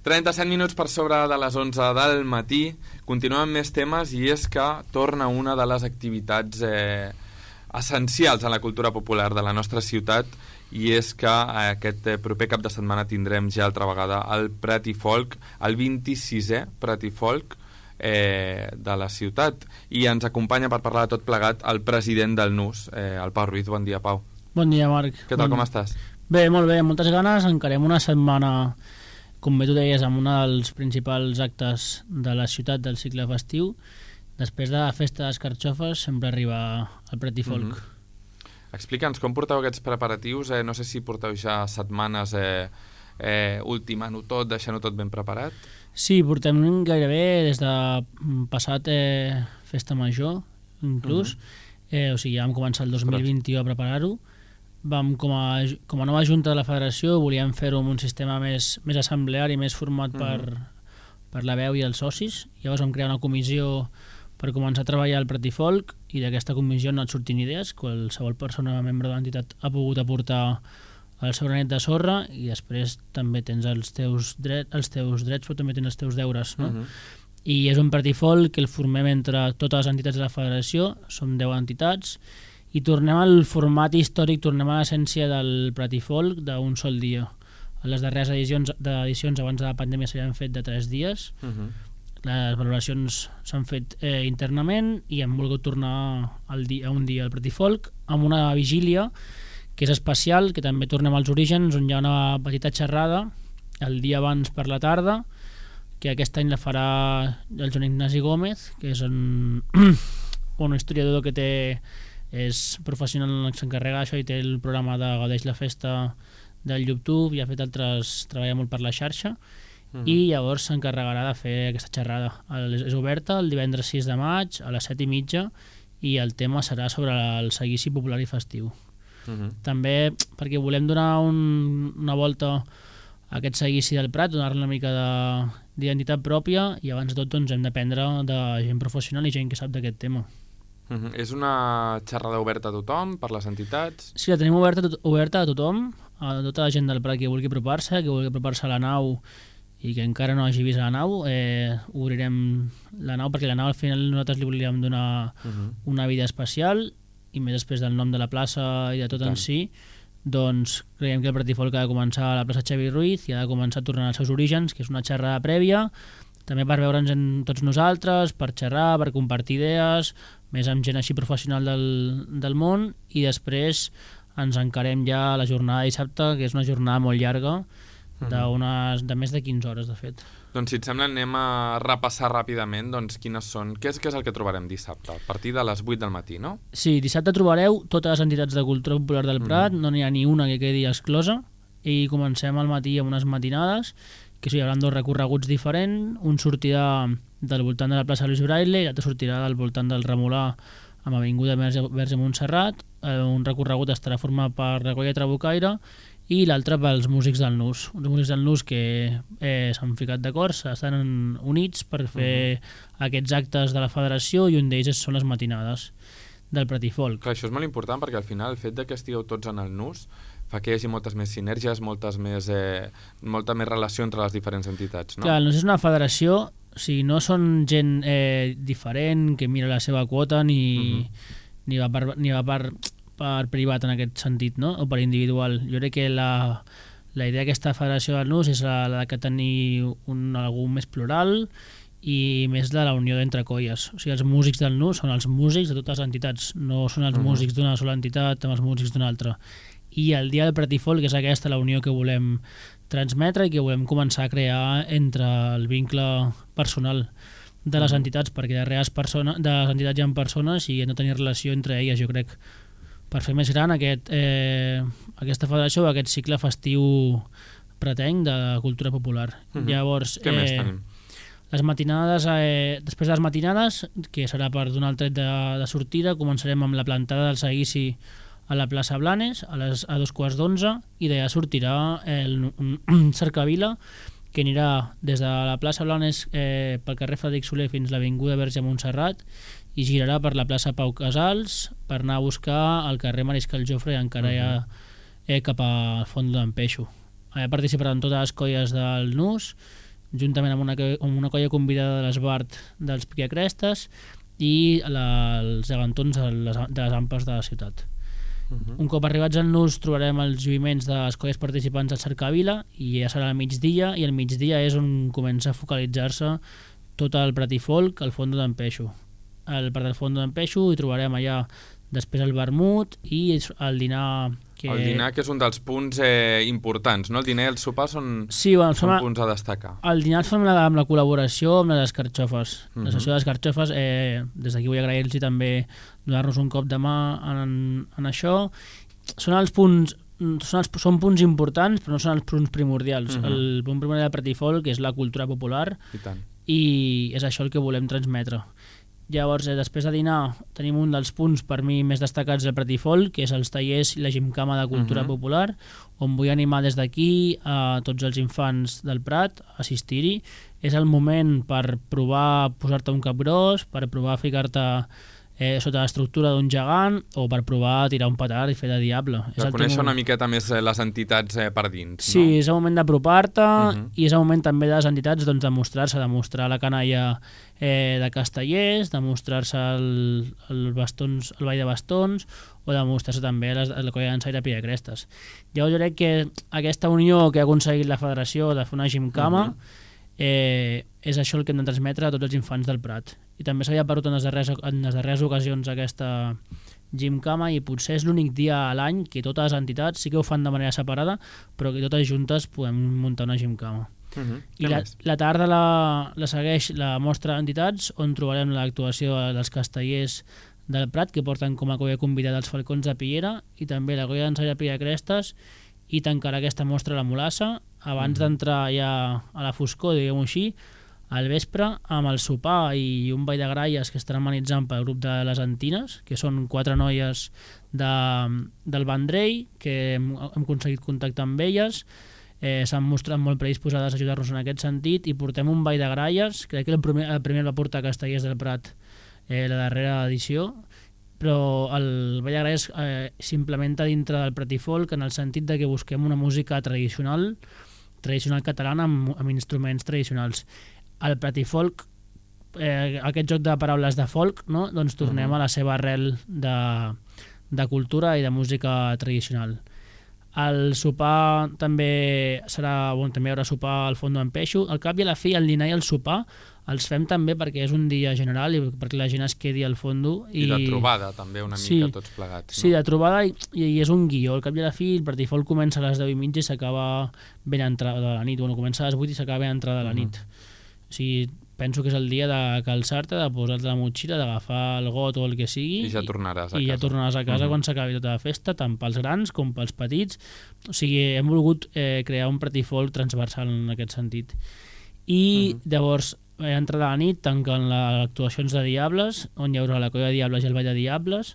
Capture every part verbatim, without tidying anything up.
trenta-set minuts per sobre de les onze del matí. Continuem amb més temes i és que torna una de les activitats eh, essencials en la cultura popular de la nostra ciutat, i és que aquest proper cap de setmana tindrem ja altra vegada el Prat i Folk, el vint-i-sisè Prat i Folk eh, de la ciutat, i ens acompanya per parlar de tot plegat el president del Nus, eh, el Pau Ruiz. Bon dia, Pau. Bon dia, Marc. Què tal, bon... com estàs? Bé, molt bé, amb moltes ganes. Encarem una setmana, com bé tu deies, amb un dels principals actes de la ciutat del cicle festiu. Després de la festa de les carxofes sempre arriba el Prat i Folk. Mm-hmm. Explica'ns com porteu aquests preparatius. Eh, no sé si porteu ja setmanes eh, eh, ultimant-ho tot, deixant-ho tot ben preparat. Sí, portem gairebé des de passat eh, festa major, inclús. Mm-hmm. eh, o sigui, ja vam començar el dos mil vint-i-u a preparar-ho. Vam, com a, com a nova junta de la federació, volíem fer-ho amb un sistema més, més assembleari, més format per, mm-hmm. per la veu i els socis. Llavors vam crear una comissió per començar a treballar el Prat i Folk, i d'aquesta comissió han anat sortint idees. Qualsevol persona membre de l'entitat ha pogut aportar el seu granet de sorra, i després també tens els teus, dret, els teus drets, però també tens els teus deures, no? Mm-hmm. I és un Prat i Folk que el formem entre totes les entitats de la federació, som deu entitats, i tornem al format històric, tornem a l'essència del Prat i Folk d'un sol dia. A les darreres edicions, edicions abans de la pandèmia s'havien fet de tres dies. Uh-huh. Les valoracions s'han fet eh, internament, i hem volgut tornar al dia, a un dia al Prat i Folk amb una vigília que és especial, que també tornem als orígens, on hi ha una petita xerrada el dia abans per la tarda, que aquest any la farà el Joan Ignasi Gómez, que és un, un historiador que té... és professional, s'encarrega d'això i té el programa de Gaudeix la Festa del YouTube, i ha fet altres, treballa molt per la xarxa. Uh-huh. I llavors s'encarregarà de fer aquesta xerrada. És oberta el divendres sis de maig a les set i mitja, i el tema serà sobre el seguici popular i festiu. Uh-huh. També perquè volem donar un, una volta a aquest seguici del Prat, donar-li una mica d'identitat pròpia, i abans de tot doncs, hem d'aprendre de gent professional i gent que sap d'aquest tema. Uh-huh. És una xerrada oberta a tothom, per les entitats? Sí, la tenim oberta, tot, oberta a tothom, a tota la gent del Prat que vulgui apropar-se, que vulgui apropar-se a la nau i que encara no hagi vist la nau. Eh, obrirem la nau, perquè la nau al final nosaltres li volíem donar uh-huh. una vida especial, i més després del nom de la plaça i de tot en si, doncs creiem que el Prat i Folk ha de començar a la plaça Xavier Ruiz i ha de començar a tornar als seus orígens, que és una xerrada prèvia, també per veure'ns en tots nosaltres, per xerrar, per compartir idees, més amb gent així professional del, del món, i després ens encarem ja a la jornada de dissabte, que és una jornada molt llarga, d'unes, de més de quinze hores, de fet. Doncs si et sembla anem a repassar ràpidament doncs, quines són, què és, què és el que trobarem dissabte, a partir de les vuit del matí, no? Sí, dissabte trobareu totes les entitats de cultura popular del Prat, mm. no n'hi ha ni una que quedi exclosa, i comencem al matí amb unes matinades, que hi haurà dos recorreguts diferents. Un sortirà del voltant de la plaça Luis Braille i l'altre sortirà del voltant del Remolà amb Avinguda Verge Montserrat. Un recorregut estarà format per Recolla Trabucaire i l'altre pels músics del Nus. Uns músics del Nus que eh, s'han ficat d'acord, estan units per fer uh-huh. aquests actes de la federació, i un d'ells són les matinades del Prat i Folk. Clar, això és molt important, perquè al final el fet de que estigueu tots en el Nus fa que hi hagi moltes més sinergies, moltes més, eh, molta més relació entre les diferents entitats, no? Clar, no és una federació, o sigui, no són gent eh, diferent que mira la seva quota ni, uh-huh. ni va, per, ni va per, per privat en aquest sentit, no? O per individual. Jo crec que la, la idea d'aquesta federació del Nus és la, la que tenir un, algú més plural i més de la unió d'entre colles. O sigui, els músics del Nus són els músics de totes les entitats, no són els uh-huh. músics d'una sola entitat amb els músics d'una altra. I el dia del Prat i Folk és aquesta la unió que volem transmetre i que volem començar a crear entre el vincle personal de les entitats, perquè darrere les, persones, de les entitats hi ha persones i hem de tenir relació entre elles, jo crec, per fer més gran aquest, eh, aquesta federació, aquest cicle festiu pretenc de cultura popular. Mm-hmm. Llavors, què eh, més tenim? Les matinades, eh, després de les matinades, que serà per donar el tret de, de sortida, començarem amb la plantada del seguici a la plaça Blanes a, les, a dos quarts d'onze, i d'allà sortirà el, un cercavila que anirà des de la plaça Blanes eh, pel carrer Frederic Soler fins a l'Avinguda Verge Montserrat i girarà per la plaça Pau Casals per anar a buscar el carrer Mariscal Jofre i encara uh-huh. ja eh, cap al fons d'en Peixo. Allà participaran totes les colles del Nus juntament amb una, amb una colla convidada de l'Esbart dels Piquiacrestes i la, els gegantons de les, de les ampes de la ciutat. Uh-huh. Un cop arribats al nus trobarem els lluïments de les colles participants del Cercavila i ja serà al migdia, i al migdia és on comença a focalitzar-se tot el Prat i Folk al Fondo d'en Peixo. Al Prat del Fondo d'en Peixo hi trobarem allà després el vermut i el dinar que... El dinar, que és un dels punts eh, importants, no? El dinar i el sopar són, sí, bueno, són fem, punts a destacar. El dinar el fem amb la, amb la col·laboració amb les escarxofes. Uh-huh. La sessió de les escarxofes, eh, des d'aquí vull agrair-los també donar-nos un cop de mà en, en això. Són els punts són, els, són punts importants, però no són els punts primordials. Uh-huh. El punt primordial del Prat i Folk és la cultura popular i, tant. I és això el que volem transmetre. Llavors, eh, després de dinar, tenim un dels punts per mi més destacats del Prat i Folk, que és els tallers i la gimcama de cultura uh-huh. popular, on vull animar des d'aquí a tots els infants del Prat a assistir-hi. És el moment per provar posar-te un cap gros, per provar ficar-te eh, sota l'estructura d'un gegant, o per provar tirar un petard i fer de diable. Per conèixer una miqueta més les entitats eh, per dins, sí, no? Sí, és el moment d'apropar-te uh-huh. i és el moment també de les entitats doncs, de mostrar-se, de mostrar la canalla eh, de Castellers, de mostrar-se el, el, bastons, el ball de bastons, o de mostrar-se també a la colla d'ensaire Piquiacrestes. Llavors jo crec que aquesta unió que ha aconseguit la federació de fer una gimcama uh-huh. eh, és això el que hem de transmetre a tots els infants del Prat. I també s'havia perdut en les darreres, en les darreres ocasions aquesta gimcama, i potser és l'únic dia a l'any que totes les entitats sí que ho fan de manera separada, però que totes juntes podem muntar una gimcama. Uh-huh. I la, la tarda la, la segueix la mostra d'entitats, on trobarem l'actuació dels castellers del Prat, que porten com a colla convidada els Falcons de Piera, i també la colla d'ensaire Piquiacrestes, i tancarà aquesta mostra la Mulassa abans uh-huh. d'entrar ja a la foscor, diguem-ho així, al vespre, amb el sopar i un ball de gralles que estan amenitzant pel grup de les Antines, que són quatre noies de, del Vendrell, que hem, hem aconseguit contactar amb elles, eh, s'han mostrat molt predisposades a ajudar-nos en aquest sentit, i portem un ball de gralles, crec que el primer el, primer el va portar Castellers del Prat eh, la darrera edició, però el ball de gralles eh, s'implementa dintre del Prat i Folk en el sentit de que busquem una música tradicional, tradicional catalana amb, amb instruments tradicionals. Al Prat i Folk, eh, aquest joc de paraules de folk, no? Doncs tornem uh-huh. a la seva arrel de, de cultura i de música tradicional. El sopar també serà, bon, també hi haurà sopar al Fondo d'en Peixo. Al cap i a la fi, el dinar i el sopar els fem també perquè és un dia general i perquè la gent es quedi al fondo. I, I de trobada també una mica sí, tots plegats. No? Sí, de trobada, i, i és un guió. Al cap i a la fi, el Prat i Folk comença a les deu i mitja i s'acaba ben entrada de la nit. Bueno, comença a les vuit i s'acaba ben entrada de la nit. Uh-huh. O sigui, penso que és el dia de calçar-te, de posar-te la motxilla, d'agafar el got o el que sigui, i ja tornaràs a i casa, ja tornaràs a casa uh-huh. quan s'acabi tota la festa, tant pels grans com pels petits. O sigui, hem volgut eh, crear un Prat i Folk transversal en aquest sentit. I uh-huh. llavors, eh, entrada a la nit, tanquen les actuacions de Diables, on hi haurà la colla de Diables i el ball de Diables,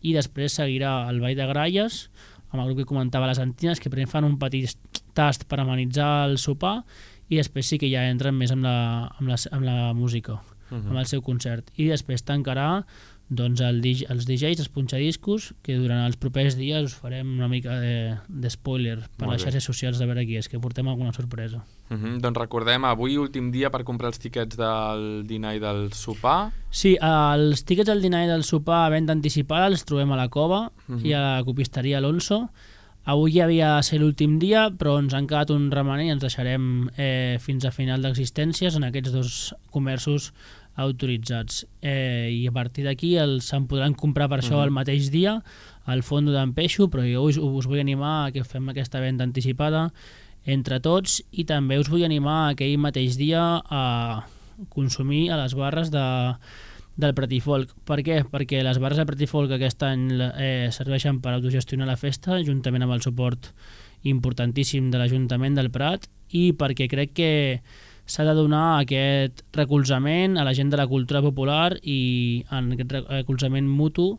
i després seguirà el ball de Gralles, amb el grup que comentava les Antines, que primer fan un petit tast per amenitzar el sopar, i després sí que ja entren més amb la, amb la, amb la música, uh-huh. amb el seu concert. I després tancarà doncs, el, els D Js, els punxadiscos, que durant els propers dies us farem una mica de, de spoiler per Molt les xarxes socials de veure qui és, que portem alguna sorpresa. Uh-huh. Doncs recordem, avui últim dia per comprar els tiquets del dinar i del sopar. Sí, els tiquets del dinar i del sopar a venda anticipada els trobem a la Cova uh-huh. i a la copisteria Alonso. Avui ja havia de ser l'últim dia, però ens han quedat un remanent i ens deixarem eh, fins a final d'existències en aquests dos comerços autoritzats. Eh, I a partir d'aquí se'n podran comprar per això uh-huh. el mateix dia al Fondo d'en Peixo, però jo us, us vull animar a que fem aquesta venda anticipada entre tots, i també us vull animar aquell mateix dia a consumir a les barres de del Prat i Folk. Per què? Perquè les barres del Prat i Folk aquest any eh, serveixen per autogestionar la festa, juntament amb el suport importantíssim de l'Ajuntament del Prat, i perquè crec que s'ha de donar aquest recolzament a la gent de la cultura popular i en aquest recolzament mutu,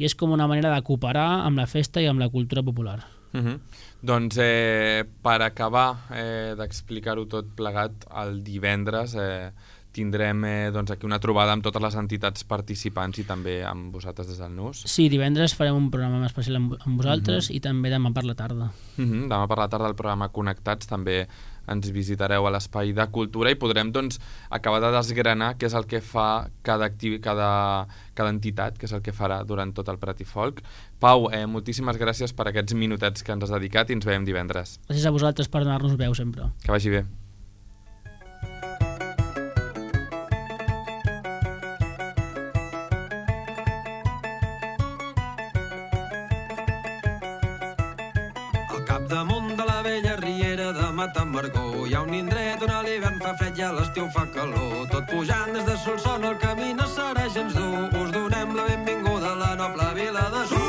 i és com una manera de cooperar amb la festa i amb la cultura popular. Uh-huh. Doncs eh, per acabar eh, d'explicar-ho tot plegat, el divendres eh, tindrem eh, doncs aquí una trobada amb totes les entitats participants i també amb vosaltres des del N U S. Sí, divendres farem un programa especial amb, amb vosaltres uh-huh. i també demà per la tarda. Uh-huh. Demà per la tarda el programa Connectats també ens visitareu a l'Espai de Cultura i podrem doncs, acabar de desgranar què és el que fa cada, activi, cada, cada entitat, què és el que farà durant tot el Prat i Folk. Pau, eh, moltíssimes gràcies per aquests minutets que ens has dedicat i ens veiem divendres. Gràcies a vosaltres per donar-nos veu sempre. Que vagi bé. Hi ha un indret on a l'hivern fa fred i a l'estiu fa calor. Tot pujant des de Solsona el camí no serà gens dur. Us donem la benvinguda a la noble vila de Sur.